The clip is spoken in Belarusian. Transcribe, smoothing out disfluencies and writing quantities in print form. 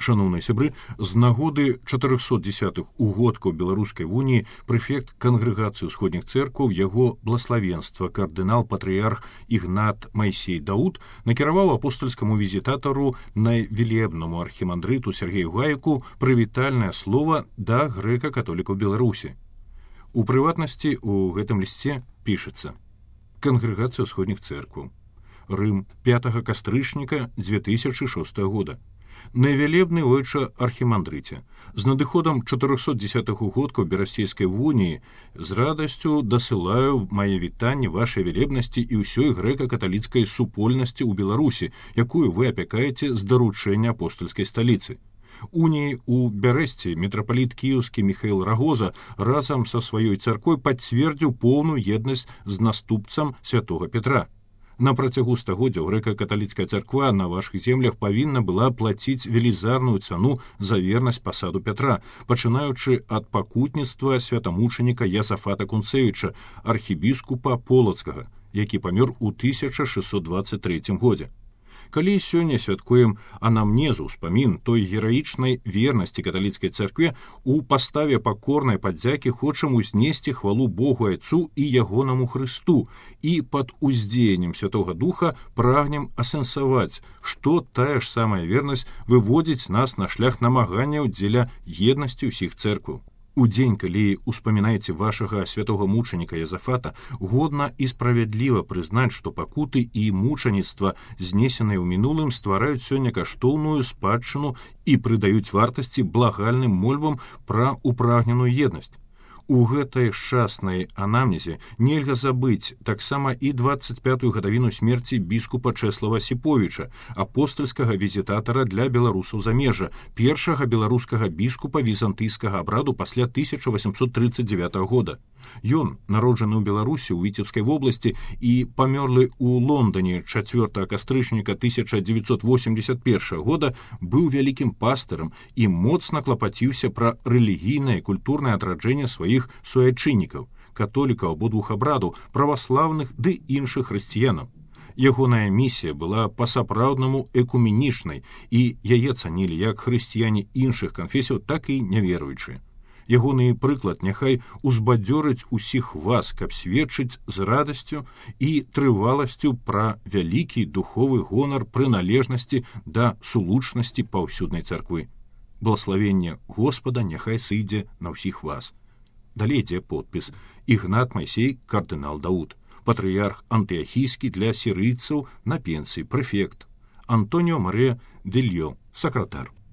Шановныя сябры, з нагоды 410-х угодкаў Беларускай уніі прэфект Кангрэгацыі ўсходніх цэркваў яго блаславенства кардынал-патрыярх Ігнат Майсей Дауд накіраваў апостальскаму візітатару найвелебнаму архімандрыту Сергею Гайку прывітальнае слова да грэка-католікаў Беларусі. У прыватнасці у гэтым лісце пішацца: Кангрэгацыя ўсходніх цэркваў. Рым, 5 кастрычніка 2006 года. Найвялебны ойча архімандрыце, з надыходам 410-х угодкаў Берасцейскай уніі з радасцю дасылаю мае вітанні вашай велебнасці і ўсёй грэка-каталіцкай супольнасці ў Беларусі, якую вы апякаеце з даручэння апостальскай сталіцы. Уніі у Бярэсці мітрапаліт кіеўскі Міхаіл Рагоза разам са сваёй царквой пацвердзіў поўную еднасць з наступцам святога Петра. На працягу стагоддзяў грэка-каталіцкая царква на вашых землях павінна была плаціць велізарную цану за вернасць пасаду Пятра, пачынаючы ад пакутніцтва святамучаніка Ясафата Кунцевіча, архібіскупа Полацкага, які памёр у 1623 годзе. Калі сёння святкуем анамнезу, ўспамін той гераічнай вернасці каталіцкай царкве, у паставе пакорнай падзякі хочам узнесці хвалу Богу Айцу і ягонаму Хрысту, і пад уздзеяннем Святога Духа прагнем асэнсаваць, што тая ж самая вернасць выводзіць нас на шлях намаганняў дзеля еднасці ўсіх цэркваў. У дзень, калі успамінаеце вашага святога мучаніка Язафата, годна і справядліва прызнаць, што пакуты і мучаніцтва, знесеныя ў мінулым, ствараюць сёння каштоўную спадчыну і прыдаюць вартасці благальным мольбам пра упрагненую еднасць. У гэтай шчаснай анамнезе нельга забыць таксама і 25-ю гадавіну смерці біскупа Чэслава Сіповіча, апостальскага візітатара для беларусаў замежжа, першага беларускага біскупа візантыйскага абраду пасля 1839 года. Ён, народжаны ў Беларусі ў Віцебскай вобласці і памёрлы ў Лондоне 4 кастрычніка 1981 года, быў вялікім пастырам і моцна клапаціўся пра рэлігійнае і культурнае адраджэнне сваіх суайчыннікаў, католікаў абодвух абрадаў, праваслаўных ды іншых хрысціянаў. Ягоная місія была па-сапраўднаму экуменічнай, і яе цанілі як хрысціяне іншых канфесіяў, так і няверуючыя. Ягоны прыклад няхай узбадзёрыць усіх вас, каб сведчыць з радасцю і трываласцю пра вялікі духовы гонар прыналежнасці да сулучнасці паўсюднай царквы. Благаславенне Господа няхай сыдзе на ўсіх вас. Далей ідзе подпіс: Ігнат Майсей, кардынал Дауд, патрыярх антыахійскі для сірыйцаў на пенсіі, прэфект, Антоніо Марыя Дельё, сакратар.